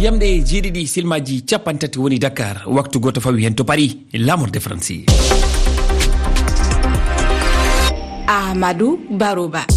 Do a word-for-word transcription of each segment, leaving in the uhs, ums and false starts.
Ɗamɗe jeeɗiɗi, silmaji capanɗe tati woni Dakar, waktu gooto fawi heen to Paris, La Mort de Franci. Ahmadou Baroba.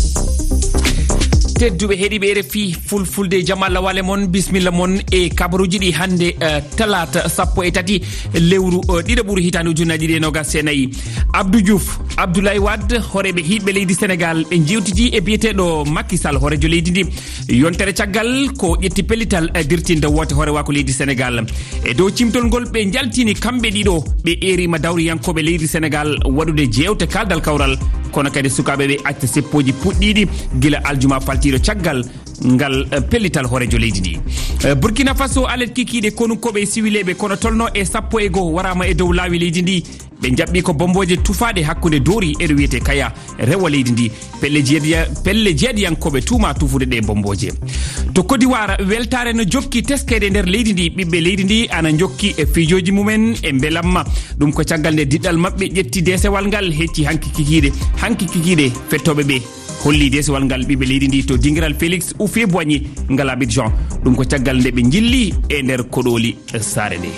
Tedduɓe heɗiiɓe R F I Fulfulde, jam Allah wale mon, bismilla mon e kabaruuji ɗi hannde, eh, talaata sappo e tati lewru, eh, ɗiɗaɓuru hitaande ujunnaji ɗiɗi e nogas e nayi. Abdou Diouf, Abdoulaye Wade, hooreeɓe hiiɓɓe leydi Senegal, ɓe njewtidi e biyeteeɗo Macky Sall, hooreejo leydi ndi. Yontere caggal ko ƴetti pellital, eh, dirtinde woote hoorewaaku leydi Senegal. E dow cimtol ngol ɓe njaltini kamɓe ɗiɗo, ɓe eerima dawriyankooɓe leydi Senegal waɗude jeewte kaaldal kawral, kono kadi sukaaɓe ɓe acca seppooji puɗɗiiɗi gila aljuma faltiiɗo caggal ngal, eh, pellital hooreejo leydi ndi. Eh, Burkina Faso, alet kikiiɗe konukooɓe e siwileeɓe kono tolno e sappo e goo waraama e dow laawi leydi ndi. Ɓe njaɓɓi ko bombooje tufaaɗe hakkunde Dori e ɗo wiyetee Kaya, rewo leydi ndi. Pelle jeeɗiya-, pelle jeeɗiyankooɓe tuuma tufude ɗe bombooje. To Côte d'Ivoire, weltaare no jokki teskeede nder leydi ndi. Ɓiɓɓe leydi ndi ana njokki e fiijooji mumen e mbelamma. Ɗum ko caggal nde diɗɗal maɓɓe ƴetti deesewal ngal, hecci hanki kikiiɗe. Hanki kikiiɗe fettooɓe ɓe holli deesewal ngal ɓiɓɓe leydi ndi to dingiral Félix Houphouët-Boigny ngal Abidjan. Ɗum ko caggal nde ɓe njilli e nder koɗooli saare nde.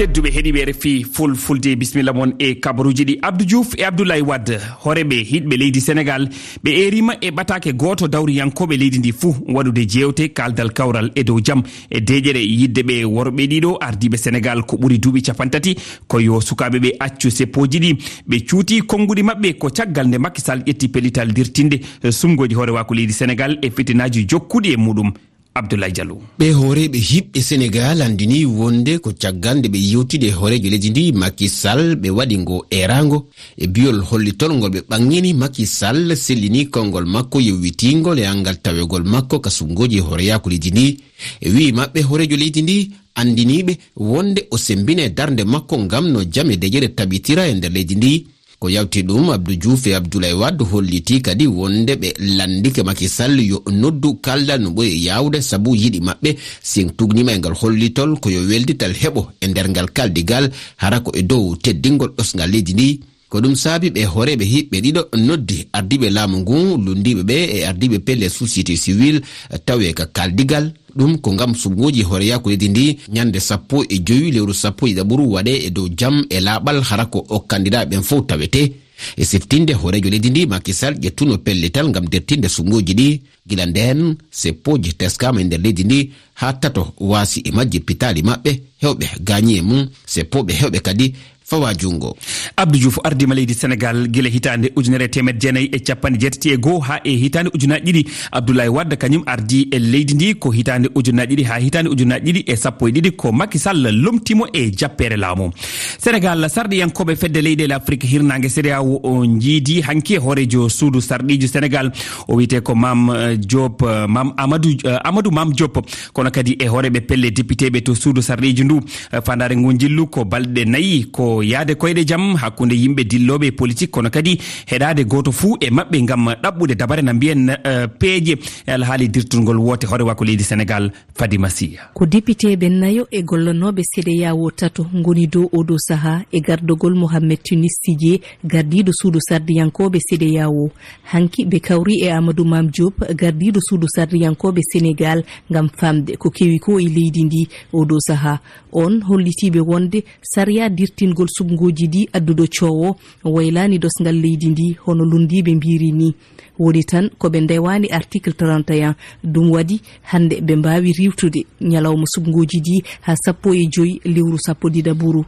Tedduɓe heɗiiɓe R F I Fulfulde, bismilla mon e kabaruuji ɗi. Abdou Diouf e Abdoulaye Wade, hooreeɓe hiiɗɓe leydi Senegal, ɓe eerima e ɓataake gooto dawriyankooɓe leydi ndi fuu waɗude jeewte kaaldal kawral e dow jam e deeƴere yidde ɓe worɓe ɗiɗo ardiiɓe Senegal ko ɓuri duuɓi capanɗe tati, ko yo sukaaɓe ɓe accu seppooji ɗi. Ɓe cuuti konnguɗi maɓɓe ko caggal nde Macky Sall ƴetti pellital dirtinde, eh, sumgooji hoorewaaku leydi Senegal e fitinaaji jokkuɗi e muɗum. Abdoulaye Diallo. Ɓe hooreeɓe hiiɓɓe Senegal anndini wonde ko caggal nde ɓe yewtidi e hooreejo leydi ndi Macky Sall, ɓe waɗi ngo eeraango e biyol hollitol ngol ɓe ɓaŋŋini Macky Sall sellini konngol makko yowitiingol e anngal tawegol makko ka sumgooji hooreyaaku leydi ndi. E wi'i maɓɓe, hooreejo leydi ndi anndiniiɓe wonde o sembine darnde makko ngam no jam e deƴere tabitira e nder leydi ndi. Ko yawti ɗum, Abdou Diouf e Abdoulaye Wade holliti kadi wonde ɓe lanndike Macky Sall yo noddu kaldal no ɓuri yaawde, sabu yiɗi maɓɓe, si en tugnima e ngal hollitol, ko yo weldital heɓo e nder ngal kaldigal, hara ko e dow teddingol ɗosngal leydi ndi. Ko ɗum saabi ɓe hooreeɓe hiiɓɓe ɗiɗo noddi ardiiɓe laamu ngu, lunndiiɓe ɓe e ardiiɓe pelle société civile tawee ka kaldigal. Ɗum ko ngam sumgooji hooreyaaku leydi ndi, ñande sappo e jowi lewru sappo e ɗiɗaɓuru waɗee e dow jam e laaɓal, hara ko o kandidaaɓe ɓen fow tawetee. E siftinde, hooreejo leydi ndi, Macky Sall, ƴettuno pellital ngam dertinde sumgooji ɗi. Gila ndeen, seppooji teskaama e nder leydi ndi, haa tato waasi e majji pitaali maɓɓe, heewɓe gaañi e mum, seppooɓe heewɓe kadi fawaa junngo. Abdou Diouf ardiima leydi Senegal gila hitaande ujunere e teemedde jeenayi e capanɗe jeetati e goo haa e hitaande ujunaaji ɗiɗi. Abdoulaye Wade kañum ardii e leydi ndi ko hitaande ujunaaji ɗiɗi haa hitaande ujunaaji ɗiɗi e sappo e ɗiɗi, ko Macky Sall lomtii mo e jappeere laamu. Senegal, sarɗiyankooɓe Fedde Leyɗeele Afrik Hirnaange, CEDEAO, o njiidi hanki e hooreejo suudu sarɗiiji Senegal. O wiyetee ko Mam, eh, Diop, eh, Mam Amadou, eh, Amadou Mam Diop. Kono kadi e hooreeɓe pelle depiteeɓe to suudu sarɗiiji ndu. Eh, faandaare ngu njillu ko balɗe nayi, ko yahde koyɗe jam hakkunde yimɓe dillooɓe e politik, kono kadi heɗaade gooto fuu e maɓɓe ngam ɗaɓɓude dabare na mbiyen, eh, peeje e alhaali dirtungol woote hoorewaaku leydi Senegal. Fadima Siya. Ko depiteeɓe nayo e gollanooɓe CEDEAO tato ngoni dow oo ɗoo sahaa e gardagol Mohamed Tunis Sidie, gardiiɗo suudu sarɗiyankooɓe CEDEAO. Hanki ɓe kawri e Amadou Mame Diop, gardiiɗo suudu sarɗiyankooɓe Senegal, ngam faamde ko kewi ko e leydi ndi oo ɗoo sahaa. On hollitiiɓe wonde sariya dirtingol sumgooji ɗi adduɗo coowo waylaani ɗosngal leydi ndi, hono lunndiiɓe mbiyri ni. Woni tan ko ɓe ndewaani article trente et un. Ɗum waɗi hannde ɓe mbaawi riiwtude ñalawma sumgooji ɗi haa sappo e joy lewru sappo ɗiɗaɓuru.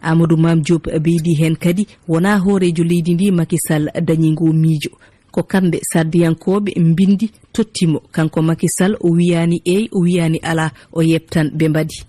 Amadou Mame Diop ɓeydi heen kadi, wonaa hooreejo leydi ndi Macky Sall dañi ngoo miijo. Ko kamɓe sardiyankooɓe mbinndi totti mo. Kanko Macky Sall, o wiyaani eey, o wiyaani alaa, o yeɓtan ɓe mbaɗi.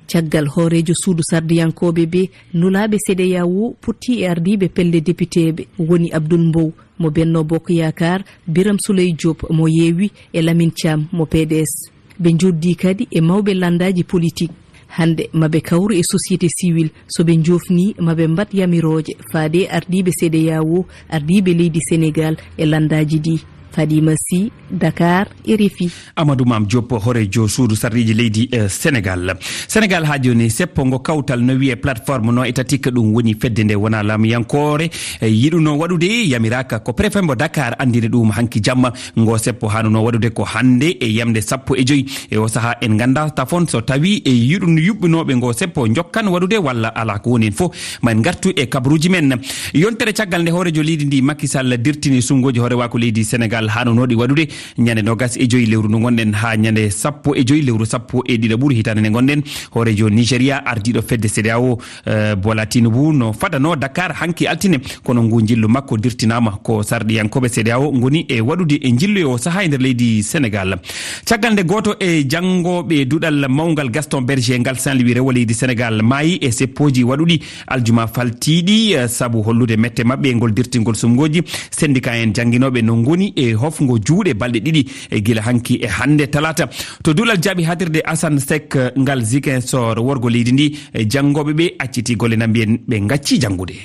Caggal hooreejo suudu sardiyankooɓe ɓe, nulaaɓe CEDEAO potti e ardiiɓe pelle depiteeɓe, woni Abdoul Mbow mo Benno Bokk Yaakaar, Birame Souleye Diop mo Yewwi e Lamine Thiam mo P D S. Ɓe njoddii kadi e mawɓe lanndaaji politik. Hannde, ma ɓe kawru e société civile. So ɓe njoofnii, ma ɓe mbaɗ yamirooje faade e ardiiɓe CEDEAO, ardiiɓe leydi Senegal e lanndaaji ɗi. Fadima Sy, Dakar, R F I. Amadou Mame Diop, hooreejo suudu sarɗiiji leydi, eh, Senegal. Senegal haa jooni, seppo ngo kawtal no wiyee plateforme no e tatik, ɗum woni fedde nde wonaa laamiyankoore, eh, yiɗuno waɗude, yamiraaka ko préfet mbo Dakar anndini ɗum hanki jamma. Ngo seppo haanuno waɗude ko hannde e yamnde sappo e joy. E o sahaa en nganndaa tafon so tawii e yiɗun yuɓɓinooɓe ngo seppo njokkan waɗude walla alaa, ko woni en fof ma en ngartu e kabaruuji men. Yontere caggal nde hooreejo leydi ndi Macky Sall dirtini sunnguuji hoorewaaku leydi Senegal haanunooɗi waɗude ñande noogas e joy lewru ndu ngonɗen haa ñande sappo e joy lewru sappo e ɗiɗaɓuru hitaande nde ngonɗen, hooreejo Nigeria, ardiiɗo fedde CEDEAO, eh, Bola Tinubu no fadano Dakar hanki altine, kono ngu njillu makko dirtinaama ko sarɗiyankooɓe CEDEAO ngoni e waɗude e njillu e o sahaa e nder leydi Senegal. Caggal nde gooto e janngooɓe duɗal mawngal Gaston Berger ngal Saint-Louis rewo leydi Senegal maayi e seppooji waɗuɗi aljuma faltiiɗi, eh, sabu hollude mette maɓɓe e ngol dirtingol sumngooji, sendika en jannginooɓe no ngoni e hofngo juuɗe balɗe ɗiɗi, e gila hanki e hannde talaata. To duɗal jaaɓi haaɗtirde Assane Seck, eh, ngal Ziguinchor, worgo leydi ndi, eh, janngooɓe ɓe acciti golle na mbiyen ɓe ngacci janngude.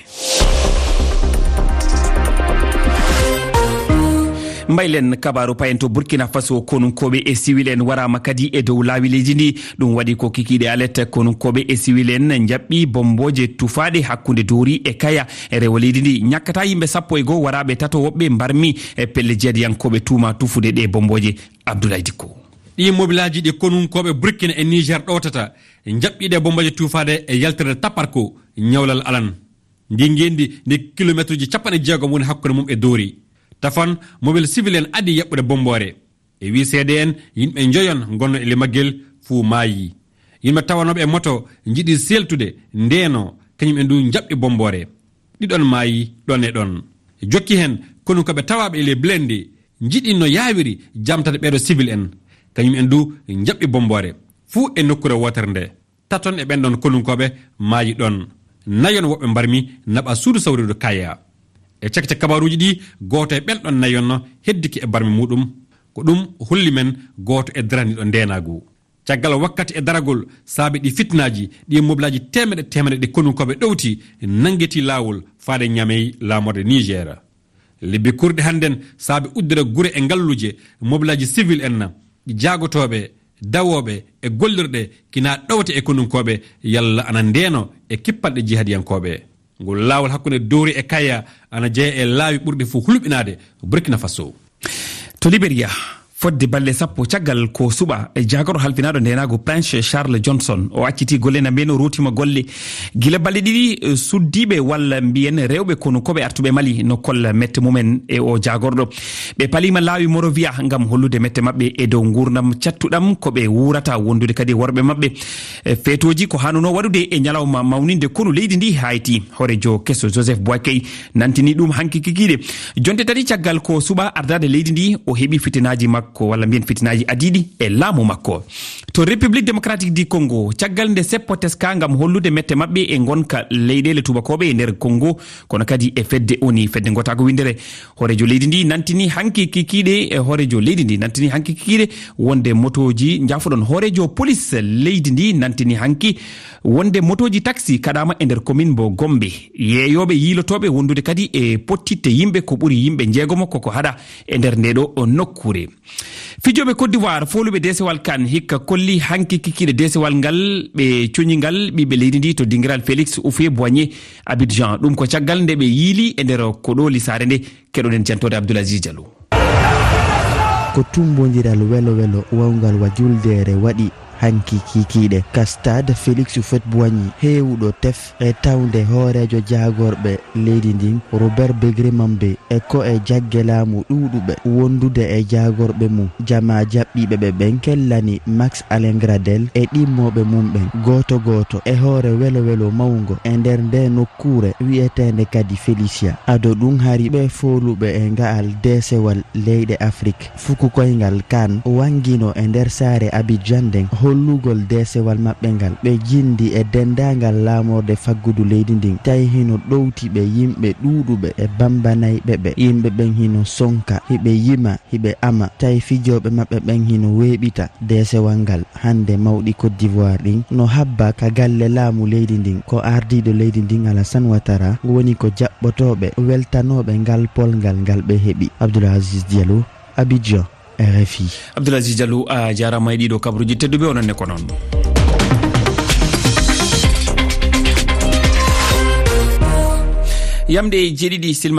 Mbaylen kabaaru payen to Burkina Faso, konunkooɓe e siwil en waraama kadi e dow laawi leydi ndi. Ɗum waɗi ko kikiiɗe alet, konunkooɓe e siwil en njaɓɓi bommbooje tufaaɗe hakkunde Doori e Kaya e rewo leydi ndi. Ñakkata yimɓe sappo e goo waraaɓe tato woɓɓe mbarmi e pelle jeediyankooɓe tuuma tufude ɗe bommbooje. Abdoulaye Dikko. Ɗii mobilaaji ɗi konunkooɓe Burkina e Niger ɗowtata, njaɓɓiiɗe bommbooje tuufaaɗe e yaltirde Taparko, ñawlal alan. Ndi ngeenndi ndi kilomeetruuji capanɗe jeegom woni hakkunde mum e Doori. Tafan, mobel siwil en adii yaɓɓude bommboore. E wii seede en, yimɓe njoyon ngonno e limaggel fuu maayi. Yimɓe tawanooɓe e moto njiɗi seeltude, ndeenoo, kañum en du njaɓɓi bommboore. Ɗiɗon maayi ɗon e ɗon. Jokki heen, konunkooɓe tawaaɓe e les blindés njiɗi no yaawiri jamtade ɓeeɗo siwil en. Kañum en du njaɓɓi bommboore. Fuu e nokkuure wootere nde. Taton e ɓen ɗon konunkooɓe maayi ɗon. Nayon woɓɓe mbarmi naɓa suudu sawrirdu Kaya. E cakite kabaaruuji ɗi, gooto e ɓen ɗon nayon heddike e barmi muuɗum. Ko ɗum holli men gooto e daraniiɗo ndeenaagu. Caggal wakkati e daragol saabe ɗi fitnaaji, ɗi mobilaaji teemedde teemedde ɗi konunkooɓe ɗowti, nanngiti laawol faade Ñamey, laamorde Niger. Lebbi kurɗi hannden saabe uddude gure e ngalluuje, mobilaaji siwil en, jaagotooɓe, dawooɓe e gollirɗe kina ɗowte e konunkooɓe yalla ana ndeeno e kippalɗe jihadiyankooɓe. Ngol laawol hakkunde Doori e Kaya ana jeya e laawi ɓurɗi fof hulɓinaade Burkina Faso. To Liberia, fodde balle sappo caggal ko suɓa, e jaagorɗo halfinaaɗo ndeenaagu Prince Charles Johnson, o acciti golle na mbiyen, o ruutima golle. Gila balle ɗiɗi, eh, suddiiɓe walla mbiyen rewɓe konunkooɓe artuɓe Mali no kolla mette mumen e o jaagorɗo. Ɓe paliima laawi Morovia ngam hollude mette maɓɓe e dow nguurndam cattuɗam ko ɓe wuurata, wondude kadi worɓe maɓɓe. E feetooji ko hanuno waɗude e ñalawma mawninde konu leydi ndi Haiti. Hooreejo keso Joseph Boakai nantini ɗum hanki kikiiɗe. Jonte tati caggal ko suɓa ardaade leydi ndi, o heɓi fitinaaji makko, walla mbiyen fitinaaji adiiɗi e laamu makko. To République Démocratique du Congo, caggal nde seppo teska ngam hollude mette maɓɓe e ngonka leyɗeele tubakooɓe e nder Congo, kono kadi e fedde O N U, fedde ngotaago winndere, hooreejo leydi ndi nantini hanki kikiiɗe, e hooreejo leydi ndi nantini hanki kikiiɗe wonde motooji, njaafoɗon, hooreejo polis leydi ndi nantini hanki wonde motooji taxi kaɗaama e nder commune mbo Gombe. Yeeyooɓe yiilotooɓe wondude kadi e pottitte yimɓe ko ɓuri yimɓe njeegomo koko haɗa e nder nde ɗo nokkuure. Fijooɓe Côte d'Ivoire, fooluɓe deesewal kan, hikka kolli hanki kikiiɗe deesewal ngal, ɓe coñi ngal ɓiɓɓe leydi ndi to dingiral Félix Houphouët-Boigny Abidjan. Ɗum ko caggal nde ɓe yiili e nder ko ɗooli saare nde. Keɗoɗen jantoode Abdoul Aziz Diallo. Ko tummbondiral welo welo wawngal wa juldeere waɗi hanki kikiiɗe ka stade Félix Houphouët-Boigny, heewuɗo tef e tawnde hooreejo jaagorɓe leydi ndin, Robert Begré Mambe, e ko e jagge laamu ɗuuɗuɓe wondude e jaagorɓe mum. Jamaa jaɓɓiiɓe ɓe ɓen kellani Max Alain Gradel e ɗimmooɓe mum ɓen, gooto gooto e hoore welo welo mawngo e nder nde nokkuure wi'eteende kadi Felicia. Ado ɗum hari ɓe fooluɓe e nga'al deesewal leyɗe Afrik. Fuku koyngal kan wangino e nder saare Abidjan nden hollugol deesewal maɓɓe ngal. Ɓe jindi e denndaangal laamorde faggudu leydi ndin, tawi hino ɗowti ɓe yimɓe ɗuuɗuɓe e bambanayɓe ɓe. Yimɓe ɓen hino sonka, hiɓe yima, hiɓe ama, tawi fijooɓe maɓɓe ɓen hino weeɓita. Deesewal ngal hannde mawɗi Côte d'Ivoire ɗin no habba ka galle laamu leydi ndin. Ko ardiiɗo leydi ndin Alassane Ouattara woni ko jaɓɓotooɓe weltanooɓe ngal polngal ngal ɓe heɓi. Abdoul Aziz Diallo, Abidjan, R F I. Abdoulaziz Diallo, a jaaraama e ɗiɗo kabaruuji tedduɓe, onon ne ko noon. Yamde jeeɗiɗi silma